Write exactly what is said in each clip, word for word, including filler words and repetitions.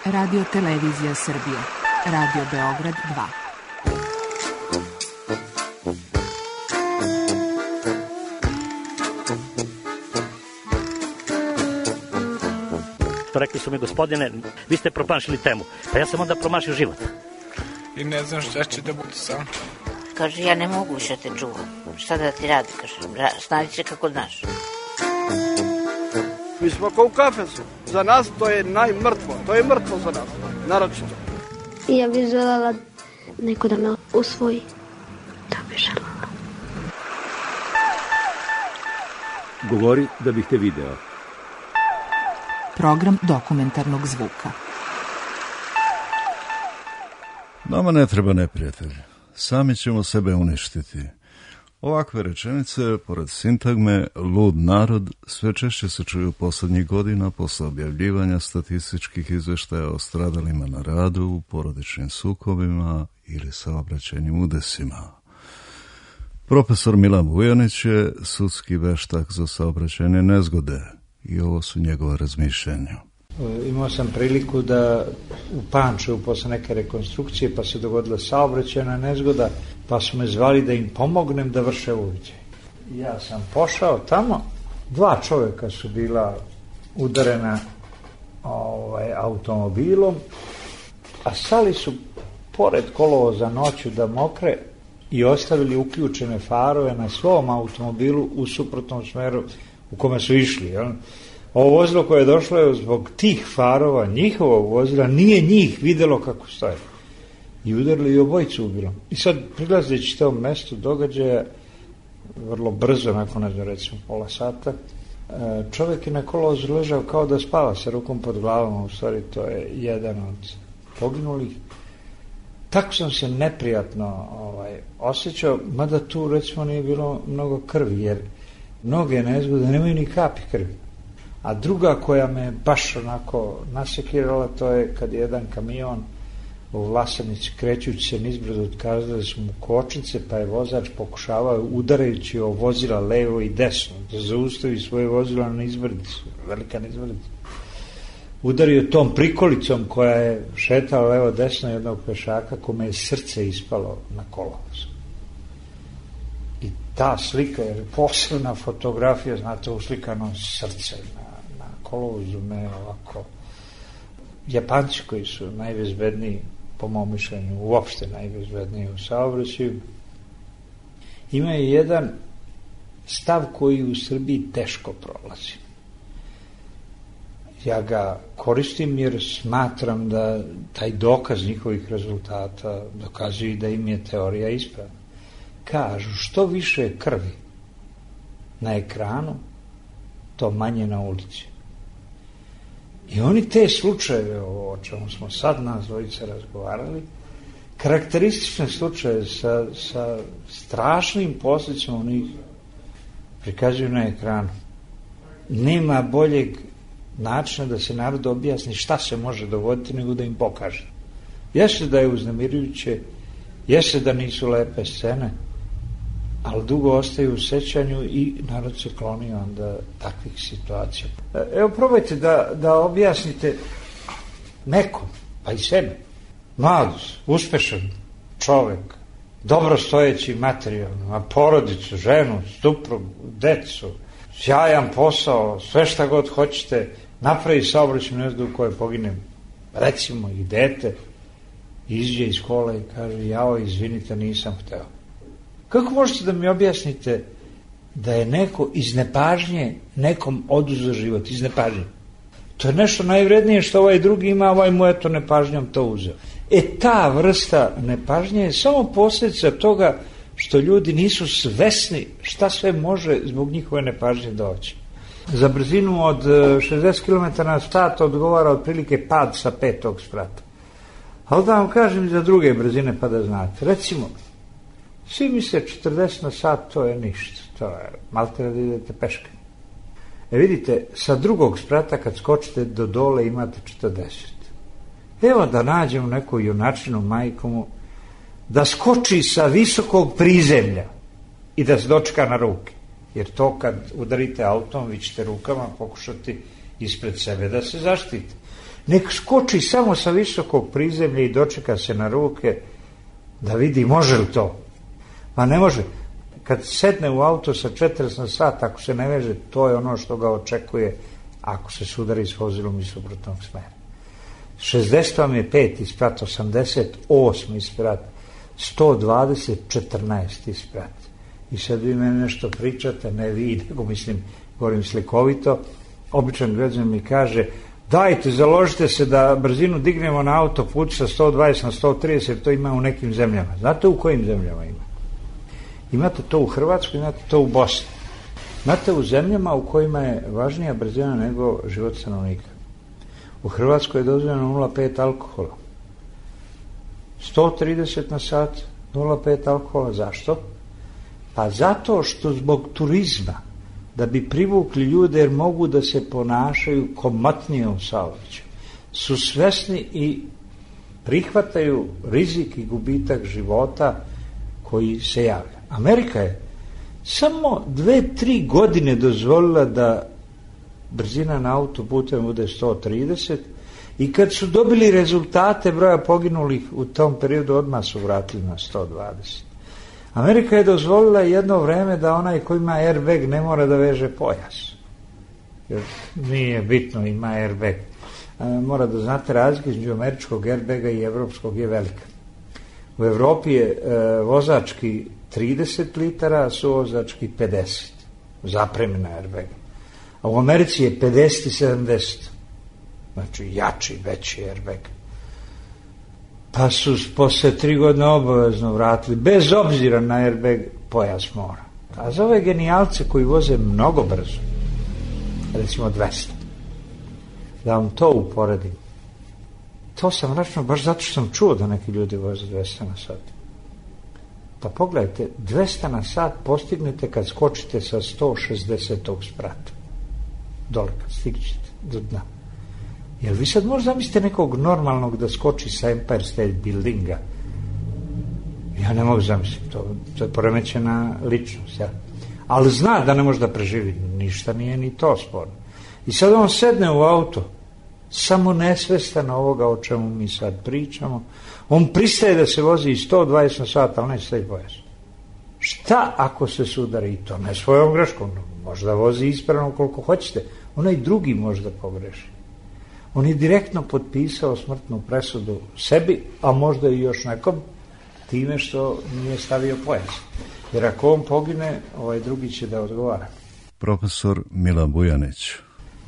Radio Televizija Srbije. Radio Beograd dva. Rekli su mi, gospodine, vi ste promašili temu. Pa ja sam onda promašio život. I ne znam šta će da bude sam. Kaže, ja ne mogu više te čuvam. Šta da ti radi, kaže, snađi se kako znaš. Mi smo kao u kafesu. Za nas to je najmrtvo. To je mrtvo za nas. Naročito. Ja bih željela neko da me usvoji. To bih željela. Govori da bih te video. Program dokumentarnog zvuka. Nama ne treba neprijatelj. Sami ćemo sebe uništiti. Ovakve rečenice, pored sintagme lud narod, sve češće se čuju poslednjih godina posle objavljivanja statističkih izveštaja o stradalima na radu, porodičnim sukobima ili saobraćajnim udesima. Profesor Milan Vujanić je sudski veštak za saobraćajne nezgode i ovo su njegove razmišljenja. Imao sam priliku da u Pančevu posle neke rekonstrukcije pa se dogodila saobraćajna nezgoda, pa su me zvali da im pomognem da vrše uviđaj. Ja sam pošao tamo, dva čovjeka su bila udarena ovaj, automobilom, a stali su pored kolovoza noću da mokre i ostavili uključene farove na svom automobilu u suprotnom smeru u kome su išli, jel? Ovo vozilo koje je došlo je zbog tih farova, njihovog vozila, nije njih videlo kako stoje. I udarili i obojicu ubilom. I sad, prilazeći tom mestu događaja, vrlo brzo, nakon, ne znam, recimo pola sata, čovjek je na kolovozu ležao kao da spava sa rukom pod glavom, u stvari to je jedan od poginulih. Tako sam se neprijatno ovaj, osjećao, mada tu, recimo, nije bilo mnogo krvi, jer mnoge nezgode nemaju ni kapi krvi. A druga koja me baš onako nasekirala, to je kad je jedan kamion u Vlasenici krećući se nizbrdo otkazali su mu kočnice, pa je vozač pokušavao udarajući o vozila levo i desno da zaustavi svoje vozilo na nizbrdicu, velika nizbrdica. Udario tom prikolicom koja je šetala levo desno jednog pešaka kome je srce ispalo na kolovozu. I ta slika, jer posebna fotografija, znate, uslikano srce na, na kolovozu me ovako. Japanci koji su najbezbedniji, po mom mišljenju, uopšte najbezbedniji u saobraćaju, imaju jedan stav koji u Srbiji teško prolazi. Ja ga koristim jer smatram da taj dokaz njihovih rezultata dokazuje da im je teorija ispravna. Kažu, što više krvi na ekranu, to manje na ulici. I oni te slučajeve, o čemu smo sad nas dvojica razgovarali, karakteristične slučaje sa, sa strašnim posljedicama, oni prikazuju na ekranu. Nema boljeg načina da se narod objasni šta se može dogoditi nego da im pokaže. Jeste da je uznemirujuće, jeste da nisu lepe scene, ali dugo ostaju u sećanju i narod se kloni onda takvih situacija. Evo, probajte da, da objasnite nekom, pa i sebi, mlad, uspešan čovek, dobro stojeći materijalno, a porodicu, ženu, suprugu, decu, sjajan posao, sve šta god hoćete, napravi saobraćajnu nezgodu u kojoj pogine, recimo, i dete, izađe iz škole i kaže, jao, izvinite, nisam hteo. Kako možete da mi objasnite da je neko iz nepažnje nekom oduzeo život, iz nepažnje? To je nešto najvrednije što ovaj drugi ima, ovaj mu eto nepažnjom to uzeo. E ta vrsta nepažnje je samo posljedica toga što ljudi nisu svesni šta sve može zbog njihove nepažnje doći. Za brzinu od šezdeset kilometara na sat odgovara otprilike pad sa petog sprata. Ali da vam kažem za druge brzine pa da znate. Recimo, svi misle četrdeset na sat, to je ništa, to je malte da idete peške. E vidite, sa drugog sprata kad skočite do dole imate četrdeset. Evo da nađemo neku junačinu majkomu da skoči sa visokog prizemlja i da se dočeka na ruke. Jer to kad udarite autom, vi ćete rukama pokušati ispred sebe da se zaštite. Nek skoči samo sa visokog prizemlja i dočeka se na ruke da vidi može li to. Pa ne može. Kad sedne u auto sa četrdeset na sat, ako se ne veže, to je ono što ga očekuje ako se sudari s vozilom iz suprotnog smera. šezdeset vam je peti sprat, osamdeset osmi sprat, sto dvadeset četrnaesti sprat. I sad vi mene nešto pričate, ne vi, nego mislim, govorim slikovito, običan građan mi kaže, dajte, založite se da brzinu dignemo na autoput sa sto dvadeset na sto trideset, to ima u nekim zemljama. Znate u kojim zemljama ima? Imate to u Hrvatskoj, imate to u Bosni. Imate u zemljama u kojima je važnija brzina nego život stanovnika. U Hrvatskoj je dozvoljeno nula zarez pet alkohola. sto trideset na sat, nula zarez pet alkohola. Zašto? Pa zato što zbog turizma, da bi privukli ljude jer mogu da se ponašaju komotnije u saobraćaju, su svesni i prihvataju rizik i gubitak života koji se javlja. Amerika je samo dve, tri godine dozvolila da brzina na autoputima bude sto trideset i kad su dobili rezultate broja poginulih u tom periodu odmah su vratili na sto dvadeset. Amerika je dozvolila jedno vreme da onaj ko ima airbag ne mora da veže pojas. Jer nije bitno, ima airbag. Mora da znate razliku između američkog airbaga i evropskog je velika. U Evropi je e, vozački trideset litara, a suvozački pedeset. Zapremena airbaga. A u Americi je pedeset i sedamdeset. Znači jači, veći airbag. Pa su posle tri godine obavezno vratili, bez obzira na airbag, pojas mora. A za ove genijalce koji voze mnogo brzo, recimo dvesta, da vam to uporedim, to sam računao baš zato što sam čuo da neki ljudi voze dvesta na sat. Pa pogledajte, dvesta na sat postignete kad skočite sa sto šezdesetog sprata. Dole kad stignete do dna. Jel vi sad možda zamislite nekog normalnog da skoči sa Empire State Buildinga? Ja ne mogu zamisliti, to, to je poremećena ličnost. Ja. Ali zna da ne može da preživi, ništa nije ni to sporno. I sad on sedne u auto, samo nesvestan ovoga o čemu mi sad pričamo, on pristaje da se vozi i sto dvadeset na sat, ali neće stavi pojas. Šta ako se sudari i to? Ne svojom greškom, možda vozi ispravno koliko hoćete, onaj drugi možda pogreši. On je direktno potpisao smrtnu presudu sebi, a možda i još nekom, time što nije stavio pojas. Jer ako on pogine, ovaj drugi će da odgovara. Profesor Milan Bujanić.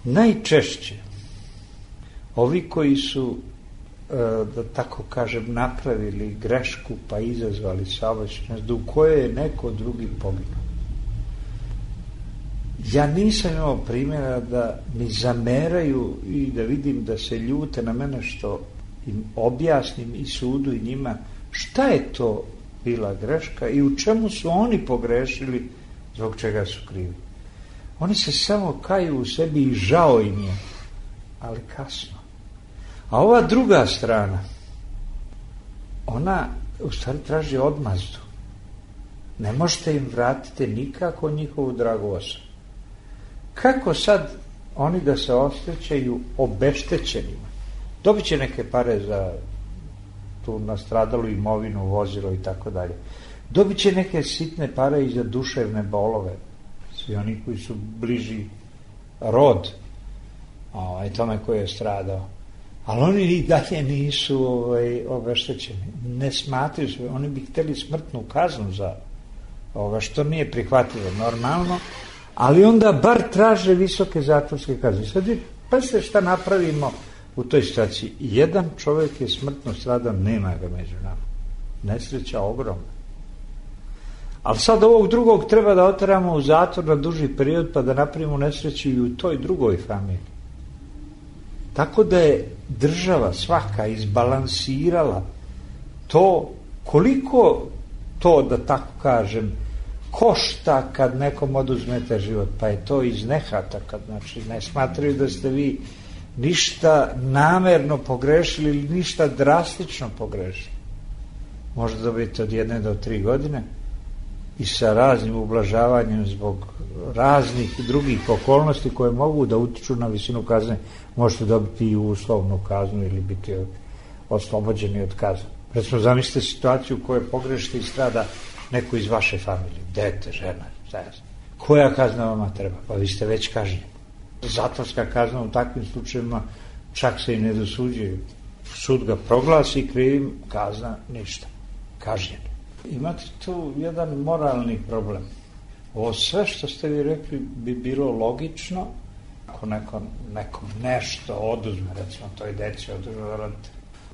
Najčešće ovi koji su, da tako kažem, napravili grešku pa izazvali saobraćajnu u kojoj je neko drugi poginuo. Ja nisam imao primjera da mi zameraju i da vidim da se ljute na mene što im objasnim i sudu i njima šta je to bila greška i u čemu su oni pogrešili, zbog čega su krivi. Oni se samo kaju u sebi i žao im je, ali kasno. A ova druga strana, ona u stvari traži odmazdu. Ne možete im vratiti nikako njihovu dragu osobu. Kako sad oni da se osjećaju obeštećenima? Dobit će neke pare za tu nastradalu imovinu, vozilo i tako dalje. Dobit će neke sitne pare i za duševne bolove. Svi oni koji su bliži rod ovaj, tome koji je stradao. Ali oni i dalje nisu ovaj, obeštećeni. Ne smatraju se. Oni bi hteli smrtnu kaznu za ovo, što nije prihvatljivo normalno, ali onda bar traže visoke zatvorske kazne. Sad pa se šta napravimo u toj situaciji. Jedan čovjek je smrtno stradao, nema ga među nama. Nesreća ogromna. Ali sad ovog drugog treba da oteramo u zatvor na duži period pa da napravimo nesreću i u toj drugoj familiji. Tako da je država svaka izbalansirala to koliko to, da tako kažem, košta kad nekom oduzmete život, pa je to iz nehata, kad znači ne smatraju da ste vi ništa namerno pogrešili ili ništa drastično pogrešili. Možda dobijete od jedne do tri godine, i sa raznim ublažavanjem zbog raznih drugih okolnosti koje mogu da utiču na visinu kazne, možete dobiti i uslovnu kaznu ili biti oslobođeni od kazne. Recimo, zamislite situaciju u kojoj pogrešite i strada neko iz vaše familije, dete, žena, zajedno. Koja kazna vama treba? Pa vi ste već kažnjeni. Zatvorska kazna u takvim slučajevima čak se i ne dosuđuje. Sud ga proglasi krivim, kazna ništa. Kažnjen. Imate tu jedan moralni problem. Ovo sve što ste vi rekli bi bilo logično ako neko, nekom nešto oduzme, recimo toj deci oduzme roditelj.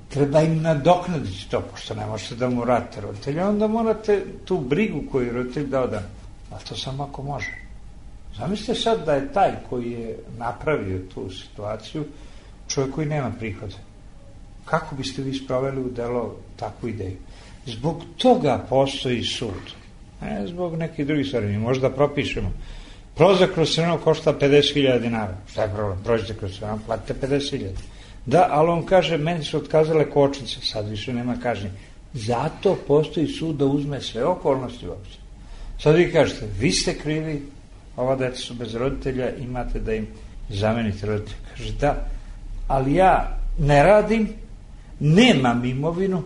Treba im nadoknaditi to, pošto ne možete da mu vratite roditelja, onda morate tu brigu koju roditelj dao da, a to samo ako može. Zamislite sad da je taj koji je napravio tu situaciju čovjek koji nema prihoda. Kako biste vi sproveli u delo takvu ideju? Zbog toga postoji sud. Ne zbog nekih drugih stvari. Mi možda propišemo. Prolazak kroz crveno košta pedeset hiljada dinara. Šta je problem? Prođete kroz crveno, platite pedeset hiljada. Da, ali on kaže, meni su otkazale kočnice, sad više nema kažnje. Zato postoji sud da uzme sve okolnosti uopće. Sad vi kažete, vi ste krivi, ova deca su bez roditelja, imate da im zamenite roditelja. Kaže, da, ali ja ne radim, nemam imovinu,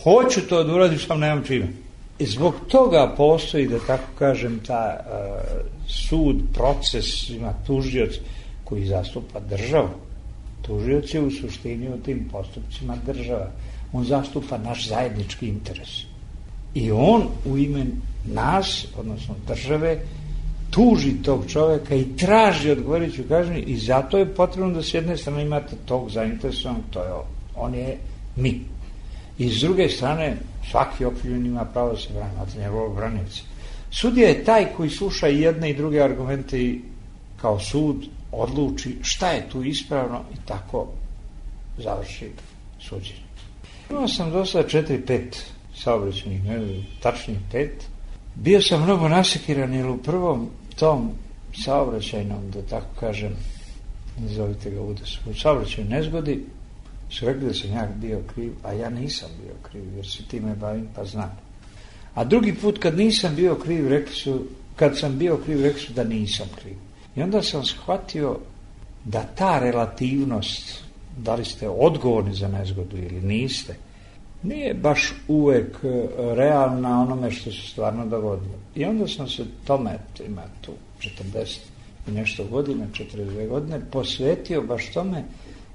hoću to da uradim, sam nemam čime. I zbog toga postoji, da tako kažem, ta uh, sud, proces, ima tužioc koji zastupa državu. Tužioc je u suštini u tim postupcima država. On zastupa naš zajednički interes. I on u ime nas, odnosno države, tuži tog čoveka i traži odgovarajuću kažnju i zato je potrebno da s jedne strane imate tog zainteresovanog, to je on. On je mi. I s druge strane, svaki okrivljen ima pravo da se brani, imate njegovog branioca. Sudija je taj koji sluša i jedne i druge argumente i kao sud odluči šta je tu ispravno i tako završi suđenje. Imao sam do sada četiri, pet saobraćajnih, ne, tačnije pet. Bio sam mnogo nasekiran jer u prvom tom saobraćajnom, da tako kažem, nazovite ga udesu, u saobraćajnoj nezgodi su rekli da sam ja bio kriv, a ja nisam bio kriv jer se time bavim pa znam. A drugi put kad nisam bio kriv, rekli su, kad sam bio kriv, rekli su da nisam kriv. I onda sam shvatio da ta relativnost, da li ste odgovorni za nezgodu ili niste, nije baš uvek realna onome što se stvarno dogodilo. I onda sam se tome, ima tu četrdeset i nešto godina, četrdeset dve godine, posvetio baš tome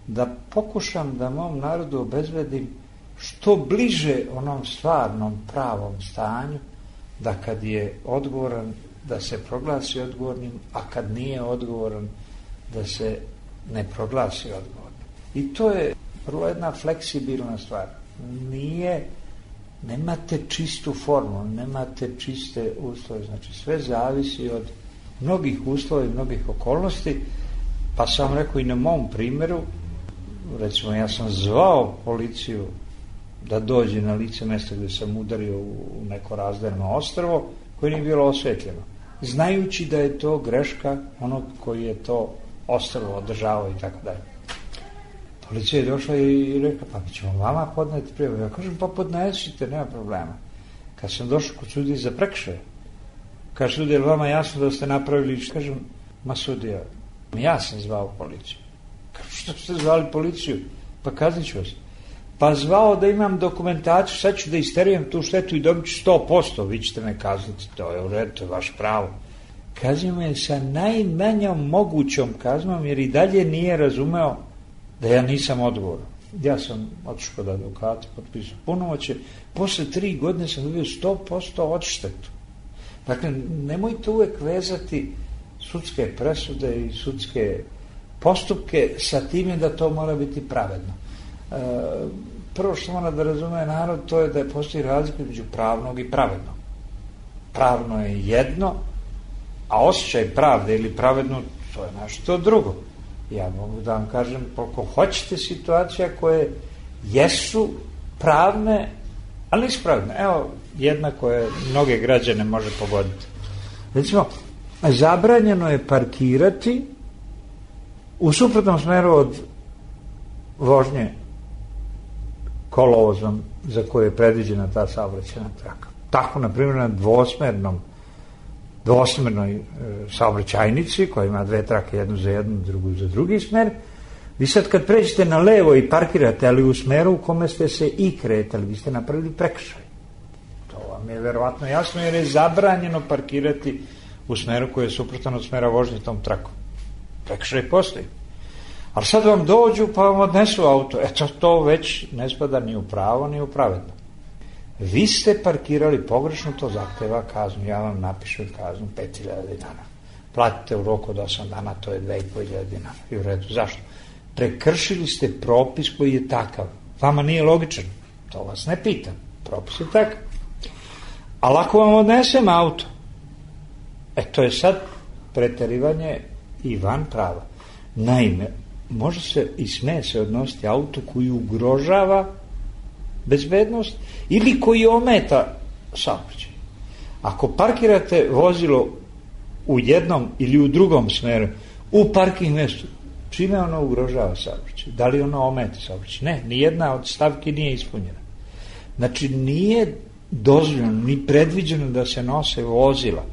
da pokušam da mom narodu obezbedim što bliže onom stvarnom pravom stanju, da kad je odgovoran, da se proglasi odgovornim, a kad nije odgovoran, da se ne proglasi odgovornim. I to je prvo jedna fleksibilna stvar. Nije, nemate čistu formu, nemate čiste uslove, znači sve zavisi od mnogih uslova i mnogih okolnosti, pa sam rekao i na mom primjeru, recimo ja sam zvao policiju da dođe na lice mjesta gdje sam udario u neko razdajno ostrvo koje nije bilo osvetljeno, znajući da je to greška onog koji je to ostrvo održavao i tako dalje. Policija je došla i rekla, pa ćemo vama podneti prijavu. Ja kažem, pa podnesite, nema problema. Kad sam došao kod sudije za prekršaje, kaže sudija, je vama jasno da ste napravili, kažem, ma sudija, ja sam zvao policiju. Kažem, što ste zvali policiju? Pa kaznit ću vas. Pa zvao da imam dokumentaciju, sad ću da isterujem tu štetu i dobit ću sto posto, vi ćete me kazniti, to je u redu, to je vaš pravo. Kaznio me sa najmanjom mogućom kaznom, jer i dalje nije razumeo da ja nisam odgovoran. Ja sam otišao kod advokata, potpisao punomoćje, posle tri godine sam dobio sto posto odštetu. Dakle, nemojte uvek vezati sudske presude i sudske postupke sa time da to mora biti pravedno. E, prvo što mora da razume narod, to je da je postoji razlika između pravnog i pravednog. Pravno je jedno, a osjećaj pravde ili pravedno, to je nešto drugo. Ja mogu da vam kažem koliko hoćete situacija koje jesu pravne, ali nisu pravedne. Evo jedna koja mnoge građane može pogoditi. Recimo, zabranjeno je parkirati u suprotnom smeru od vožnje kolovozom za koje je predviđena ta saobraćajna traka. tako, na primjer, na dvosmernom dvosmernoj e, saobraćajnici koja ima dve trake, jednu za jednu, drugu za drugi smer, vi sad kad pređete na levo i parkirate, ali u smeru u kome ste se i kretali, vi ste napravili prekršaj. To vam je verovatno jasno, jer je zabranjeno parkirati u smeru koji je suprotan od smera vožnje tom trakom. Prekršaj postoji. Ali sad vam dođu pa vam odnesu auto. Eto, to već ne spada ni u pravo, ni u pravedno. Vi ste parkirali pogrešno, to zahteva kaznu. Ja vam napišem kaznu pet hiljada dinara. Platite u roku od osam dana, to je dve i po hiljade dinara. I u redu. Zašto? Prekršili ste propis koji je takav. Vama nije logičan. To vas ne pitam. Propis je takav. Ali ako vam odnesem auto, e to je sad preterivanje i van prava. Naime, može se i sme se odnositi auto koji ugrožava bezbednost ili koji ometa saobraćaj. Ako parkirate vozilo u jednom ili u drugom smeru u parking mjestu, čime ono ugrožava saobraćaj? Da li ono ometa saobraćaj? Ne, nijedna od stavki nije ispunjena. Znači, nije dozvoljeno ni predviđeno da se nose vozila,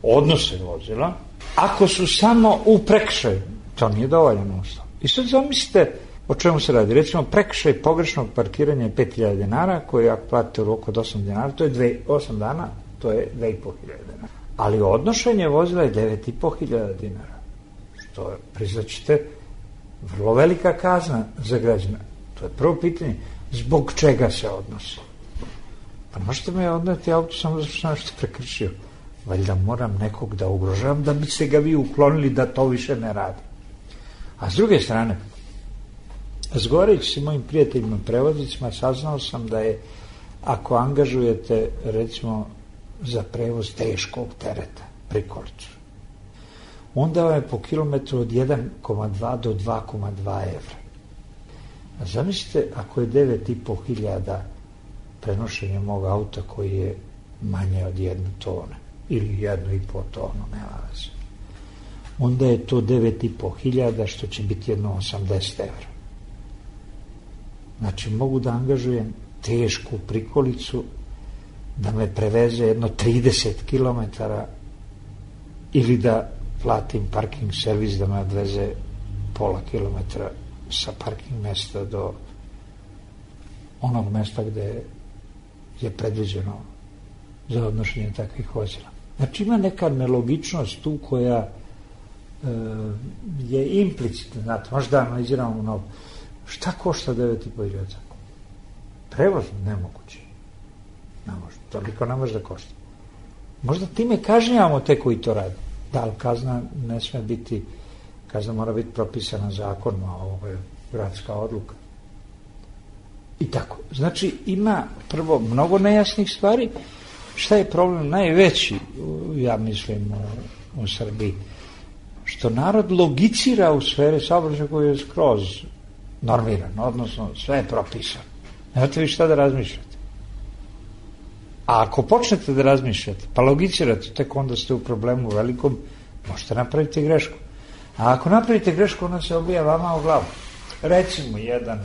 odnose vozila, ako su samo u prekršaju. To nije dovoljno uslov. I sad zamislite o čemu se radi. Recimo, prekršaj pogrešnog parkiranja je pet hiljada dinara, koji ako platite u roku od osam dinara, to je dve, osam dana, to je dve i po hiljade dinara. Ali odnošenje vozila je devet i po hiljada dinara. Što je, priznaćete, vrlo velika kazna za građana. To je prvo pitanje. Zbog čega se odnosi? Pa možete me odneti auto samo zato što sam nešto prekršio. Valjda moram nekog da ugrožavam da biste ga vi uklonili da to više ne radi. A s druge strane, razgovarajući s mojim prijateljima prevoznicima, saznao sam da je, ako angažujete, recimo, za prevoz teškog tereta, prikolicu, onda vam je po kilometru od jedan zarez dva do dva zarez dva evra. A zamislite, ako je devet i po hiljada prenošenje mog auta koji je manje od jednu tone, ili jednu i po tonu, nema veze, onda je to devet i po hiljada, što će biti jedno osamdeset evra. Znači, mogu da angažujem tešku prikolicu da me preveze jedno trideset kilometara ili da platim parking servis da me odveze pola kilometra sa parking mesta do onog mesta gde je predviđeno za odnošenje takvih vozila. Znači, ima neka nelogičnost tu koja e, je implicitna. Znate, možda analiziramo mnogo. Šta košta devet i po hiljada? Prevoz nemoguće. Ne može. Toliko ne može da košta. Možda time kažnjavamo te koji to radi. Da, ali kazna ne sme biti, kazna mora biti propisana zakonom, a ovo je gradska odluka. I tako. Znači, ima prvo mnogo nejasnih stvari. Šta je problem najveći, ja mislim, u, u Srbiji? Što narod logicira u sferi saobraćaja koji je skroz normiran, odnosno sve je propisano. Nemate vi šta da razmišljate. A ako počnete da razmišljate, pa logicirate, tek onda ste u problemu velikom, možete napraviti grešku. A ako napravite grešku, ona se obija vama u glavu. Recimo, jedan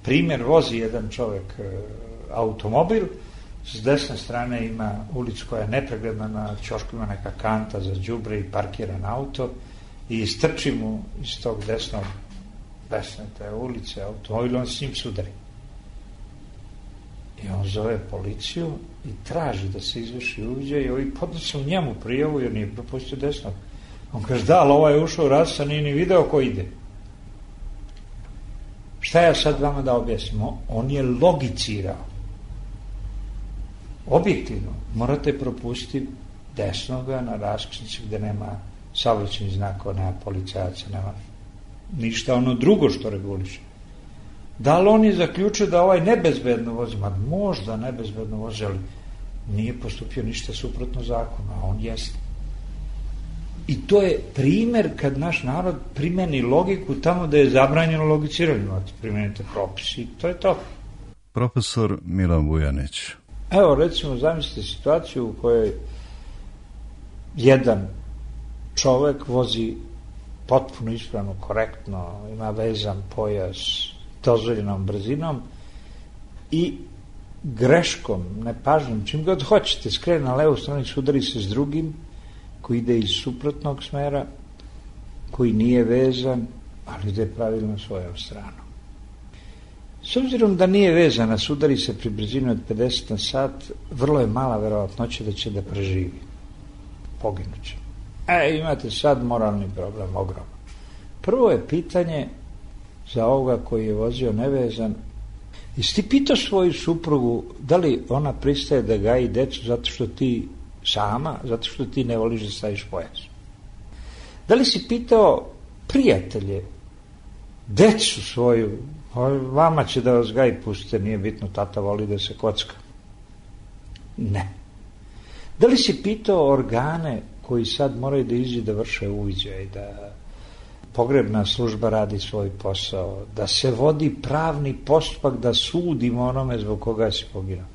primjer, vozi jedan čovjek e, automobil, s desne strane ima ulicu koja je nepregledna, na ćošku ima neka kanta za đubre i parkiran auto i istrči mu iz tog desnog desne te ulice automobil, on s njim sudari. I on zove policiju i traži da se izvrši uviđaj i ovi podnose u njemu prijavu jer nije propustio desnog. On kaže, da, ali ovaj je ušao u raz, a nije ni video ko ide. Šta ja sad vama da objasnim? On je logicirao. Objektivno, morate propustiti desnoga na raskrsnici gde nema saobraćajnih znakova, nema policajaca, nema ništa ono drugo što reguliše. Da li on je zaključio da ovaj nebezbedno vozi? Ma možda nebezbedno vozi, ali nije postupio ništa suprotno zakonu, a on jeste. I to je primer kad naš narod primeni logiku tamo da je zabranjeno logiciranje. Primenite propisi i to je to. Profesor Milan Vujanić. Evo, recimo, zamislite situaciju u kojoj jedan čovek vozi potpuno ispravno, korektno, ima vezan pojas dozvoljenom brzinom i greškom, nepažnjom, čim god hoćete, skrene na levu stranu i sudari se s drugim koji ide iz suprotnog smera, koji nije vezan, ali ide pravilno svojom stranom. S obzirom da nije vezan, a sudari se pri brzini od pedeset na sat, vrlo je mala verovatnoća da će da preživi. Poginuće. E, imate sad moralni problem, ogroman. Prvo je pitanje za ovoga koji je vozio nevezan. Jesi ti pitao svoju suprugu da li ona pristaje da gaji decu zato što ti sama, zato što ti ne voliš da staviš pojas? Da li si pitao prijatelje, decu svoju, vama će da vas gaji, pustite, nije bitno, tata voli da se kocka? Ne. Da li si pitao organe koji sad moraju da iđu da vrše uviđaj, da pogrebna služba radi svoj posao, da se vodi pravni postupak, da sudimo onome zbog koga si poginuo,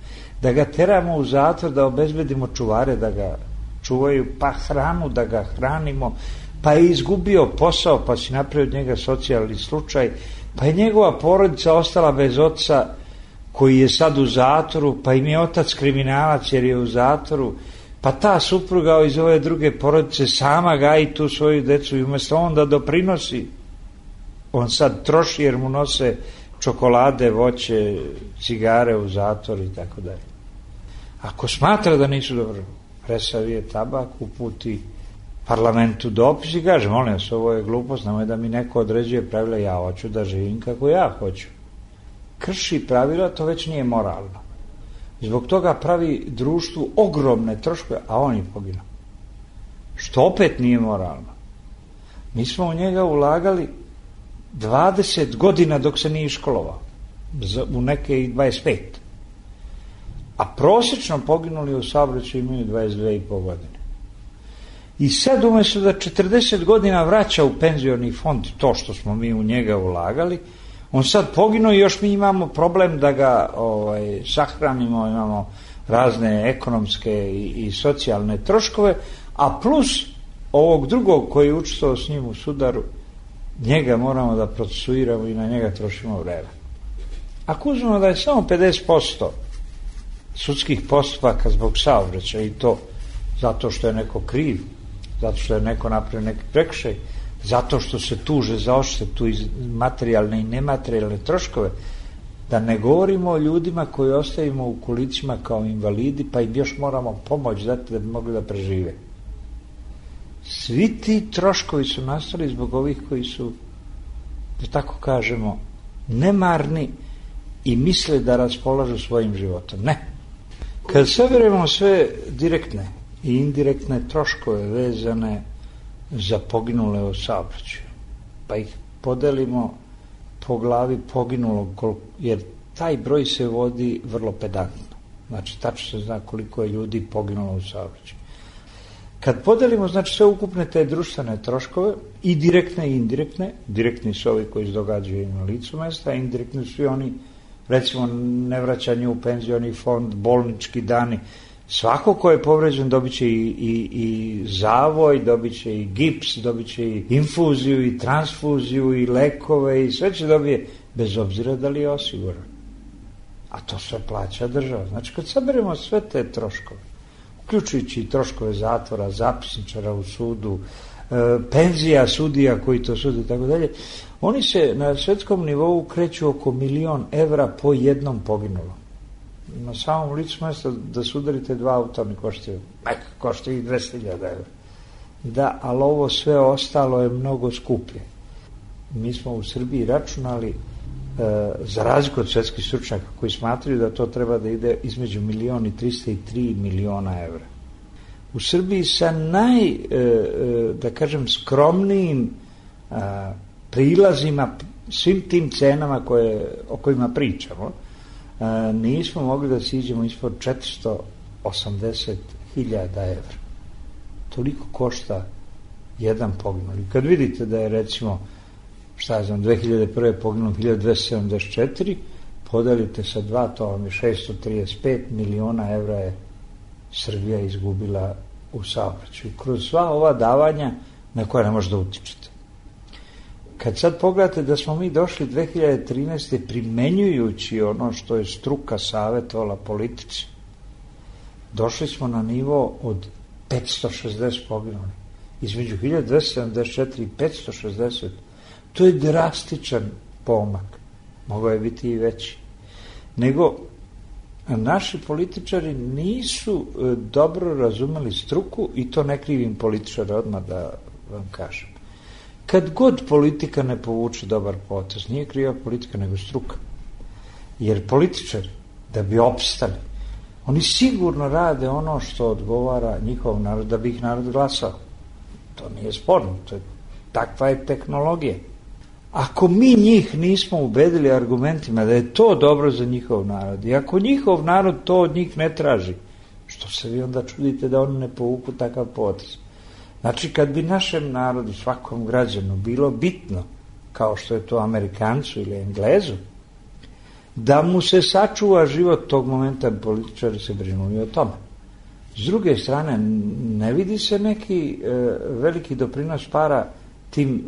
da ga teramo u zatvor, da obezbedimo čuvare da ga čuvaju, pa hranu da ga hranimo, pa je izgubio posao, pa si napravio od njega socijalni slučaj, pa je njegova porodica ostala bez oca koji je sad u zatvoru, pa im je otac kriminalac jer je u zatvoru, pa ta supruga iz ove druge porodice sama gaji tu svoju decu i umjesto on da doprinosi, on sad troši jer mu nose čokolade, voće, cigare u zatvor i tako dalje. Ako smatra da nisu dobro, presavije tabak, uputi parlamentu dopis i kaže, molim vas, ovo je glupost, nemoj da mi neko određuje pravila, ja hoću da živim kako ja hoću. Krši pravila, to već nije moralno. Zbog toga pravi društvu ogromne troškove, a on je poginuo. Što opet nije moralno. Mi smo u njega ulagali dvadeset godina dok se nije školovao. U neke i dvadeset pet. A prosječno poginuli u saobraćaju imaju dvadeset dve i po godine. I sad umjesto da četrdeset godina vraća u penzioni fond to što smo mi u njega ulagali, on sad poginuo i još mi imamo problem da ga ovaj, sahranimo, imamo razne ekonomske i, i socijalne troškove, a plus ovog drugog koji je učestvovao s njim u sudaru, njega moramo da procesuiramo i na njega trošimo vreme. Ako uzmemo da je samo pedeset posto sudskih postupaka zbog saobraćaja i to zato što je neko kriv, zato što je neko napravio neki prekršaj, zato što se tuže za odštetu iz materijalne i nematerijalne troškove, da ne govorimo o ljudima koji ostavimo u kolicima kao invalidi, pa im još moramo pomoć dati da bi mogli da prežive. Svi ti troškovi su nastali zbog ovih koji su, da tako kažemo, nemarni i misle da raspolažu svojim životom. Ne. Kad saberemo sve direktne i indirektne troškove vezane za poginule u saobraćaju, pa ih podelimo po glavi poginulog, jer taj broj se vodi vrlo pedantno. Znači, tačno se zna koliko je ljudi poginulo u saobraćaju. Kad podelimo, znači, sve ukupne te društvene troškove, i direktne i indirektne, direktni su ovi koji se događaju na licu mesta, a indirektni su i oni, recimo, nevraćanje u penzioni fond, bolnički dani. Svako ko je povređen dobit će i, i, i zavoj, dobit će i gips, dobit će i infuziju i transfuziju i lekove i sve će dobije, bez obzira da li je osiguran. A to sve plaća država. Znači, kad saberemo sve te troškove, uključujući i troškove zatvora, zapisničara u sudu, e, penzija sudija koji to sude i tako dalje, oni se na svetskom nivou kreću oko milion evra po jednom poginulom. Na samom licu mjesta da sudarite dva auta mi koštaju, neka koštaju i dvesta hiljada evra. Da, ali ovo sve ostalo je mnogo skuplje. Mi smo u Srbiji računali, e, za razliku od svetskih stručnjaka koji smatraju da to treba da ide između milion i trista i tri miliona evra. U Srbiji sa naj, e, e, da kažem, skromnijim a, prilazima, svim tim cenama koje, o kojima pričamo, a, nismo mogli da siđemo ispod četiristo osamdeset hiljada evra. Toliko košta jedan poginuli. Kad vidite da je, recimo, šta je znam, dve hiljade prve poginulo hiljadu dvesta sedamdeset četiri, podelite sa dva, to vam je šesto trideset pet miliona evra je Srbija izgubila u saobraćaju. Kroz sva ova davanja na koja ne možete da utičete. kad sad pogledate da smo mi došli dve hiljade trinaeste. primenjujući ono što je struka savjetovala politici, došli smo na nivo od petsto šezdeset poginulih. Između hiljadu dvesta sedamdeset četiri i petsto šezdeset. To je drastičan pomak. Mogao je biti i veći. Nego, naši političari nisu dobro razumeli struku i to ne krivim političara odmah da vam kažem. Kad god politika ne povuče dobar potez, nije kriva politika nego struka. Jer političari, da bi opstali, oni sigurno rade ono što odgovara njihov narod, da bi ih narod glasao. To nije sporno, to je, takva je tehnologija. Ako mi njih nismo ubedili argumentima da je to dobro za njihov narod i ako njihov narod to od njih ne traži, što se vi onda čudite da oni ne povuku takav potez? Znači, kad bi našem narodu, svakom građanu bilo bitno, kao što je to Amerikancu ili Englezu, da mu se sačuva život tog momenta, političari se brinuju o tome. S druge strane, ne vidi se neki e, veliki doprinos para tim e,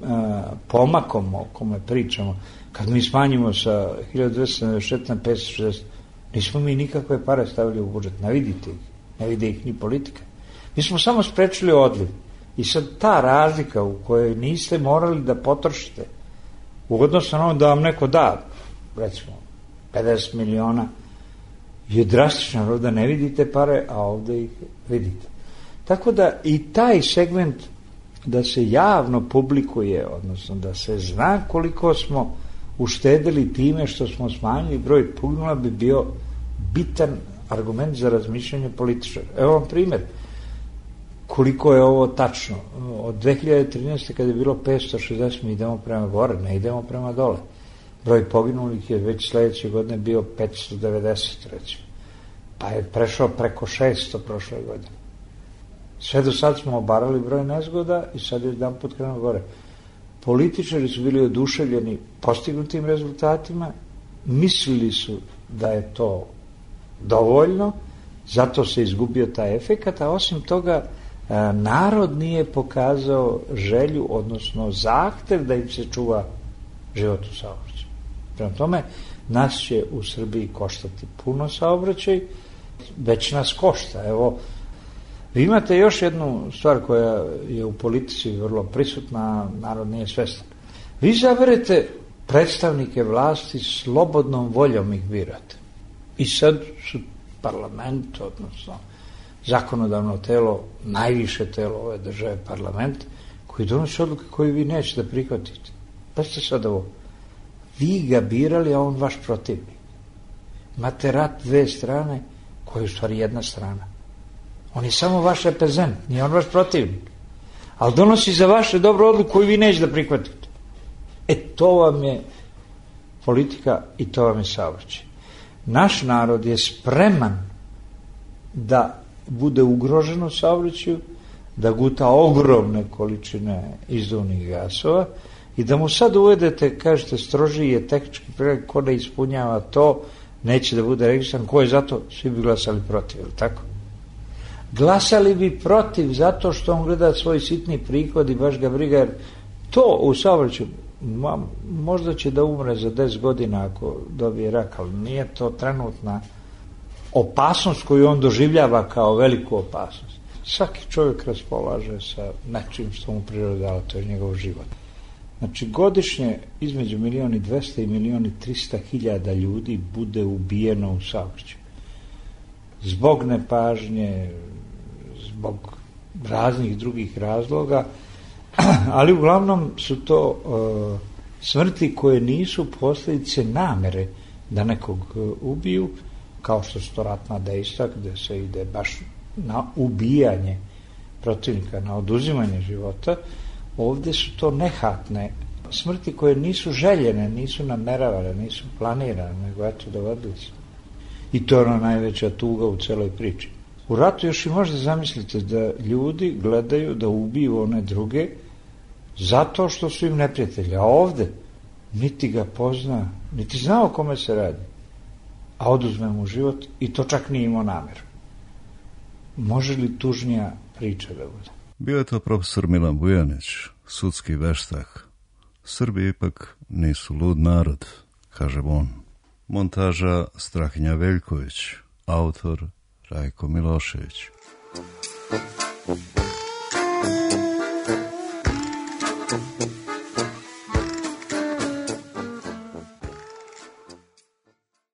pomakom o kome pričamo. Kad mi smanjimo sa hiljadu dvesta sedamdeset četiri na petsto šezdeset, nismo mi nikakve pare stavili u budžet. Ne vidite ih. Ne vide ih ni politika. Mi smo samo sprečili odliv. I sad ta razlika u kojoj niste morali da potrošite u odnosu na ono da vam neko da, recimo, pedeset miliona, je drastično, ovdje ne vidite pare, a ovdje ih vidite. Tako da i taj segment da se javno publikuje, odnosno da se zna koliko smo uštedili time što smo smanjili broj poginula, bi bio bitan argument za razmišljanje političara. Evo vam primjer. Koliko je ovo tačno? Od dve hiljade trinaeste. kada je bilo petsto šezdeset, mi idemo prema gore, ne idemo prema dole. Broj poginulih je već sledeće godine bio petsto devedeset, recimo. Pa je prešao preko šesto prošle godine. Sve do sad smo obarali broj nezgoda i sad je jedan put krenuo gore. Političari su bili oduševljeni postignutim rezultatima, mislili su da je to dovoljno, zato se izgubio taj efekat, a osim toga narod nije pokazao želju, odnosno zahtev da im se čuva život u saobraćaju. Prema tome, nas će u Srbiji koštati puno saobraćaj, već nas košta. Evo, vi imate još jednu stvar koja je u politici vrlo prisutna, narod nije svestan. Vi izaberete predstavnike vlasti, slobodnom voljom ih birate. I sad su parlament, odnosno zakonodavno telo, najviše telo ove države, parlament, koji donosi odluke koje vi nećete da prihvatite. Pa ste sad ovo. Vi ga birali, a on vaš protivnik. Imate rat dve strane, koja je u stvari jedna strana. On je samo vaš reprezent, nije on vaš protivnik. Ali donosi za vaše dobro odluku koju vi nećete da prihvatite. E, to vam je politika i to vam je saobraćaj. Naš narod je spreman da bude ugrožen u saobraćaju, da guta ogromne količine izduvnih gasova i da mu sad uvedete, kažete, strožiji je tehnički pregled, ko ne ispunjava to, neće da bude registran, ko je zato, svi bi glasali protiv, ili tako? Glasali bi protiv zato što on gleda svoj sitni prihod i baš ga briga, jer to u saobraćaju možda će da umre za deset godina ako dobije rak, ali nije to trenutna opasnost koju on doživljava kao veliku opasnost. Svaki čovjek raspolaže sa nečim što mu priroda dala, to je njegov život. Znači, godišnje između milion i dvesta i milion i trista hiljada ljudi bude ubijeno u saobraćaju. Zbog nepažnje, zbog raznih drugih razloga, ali uglavnom su to uh, smrti koje nisu posljedice namere da nekog uh, ubiju, kao što su to ratna dejstva, gde se ide baš na ubijanje protivnika, na oduzimanje života. Ovdje su to nehatne smrti koje nisu željene, nisu nameravane, nisu planirane, nego eto dogodili se. I to je ona najveća tuga u celoj priči. U ratu još i možda zamislite da ljudi gledaju da ubiju one druge zato što su im neprijatelji, a ovde niti ga pozna, niti zna o kome se radi, a oduzme mu život i to čak nije imao nameru. Može li tužnija priča da bude? Bio je to profesor Milan Bujanić, sudski veštak, Srbi ipak nisu lud narod, kaže on. Montaža Strahinja Veljković, autor Rajko Milošević. Thank you.